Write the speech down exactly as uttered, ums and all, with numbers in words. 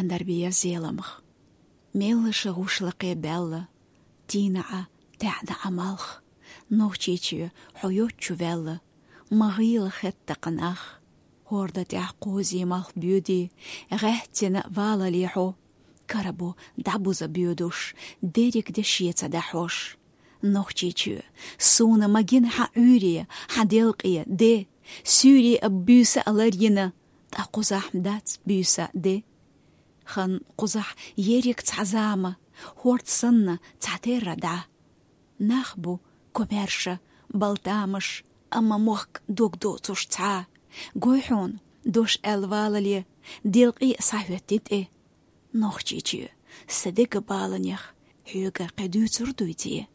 Яндар бе я Зеламха. Меллаша гӀушлакхе баьлла, тийна Ӏа, таьӀна Ӏа малх. Нохчийчоь, хьо йоцчу ваьлла, ма гӀийла хетта-кх нах. ХӀорда тӀехь кхозе малх боьде, гӀаьттина валале хьо. Кара бу дӀабуза боьдуш, дерриг де шеца дӀахьош. Нохчийчоь, суна ма гина хьан Ӏуьйре, хьан делкъе де. Суьйре а, буьйса а ларйина, ткъа кхузахь ма дац буьйса а де. Хан кхузахь ерриг цхьа зама, хӀорд санна цхьатерра дӀа. Нах бу комаьрша, балтамаш, амма мохк дог доцуш цхьа. Гой хьуна, дош аьлла валале, делкъе а схьахӀоьттина тӀе. Нохчийчоь, сан дега баланех, хьоьга кхин дуьйцур дуй те?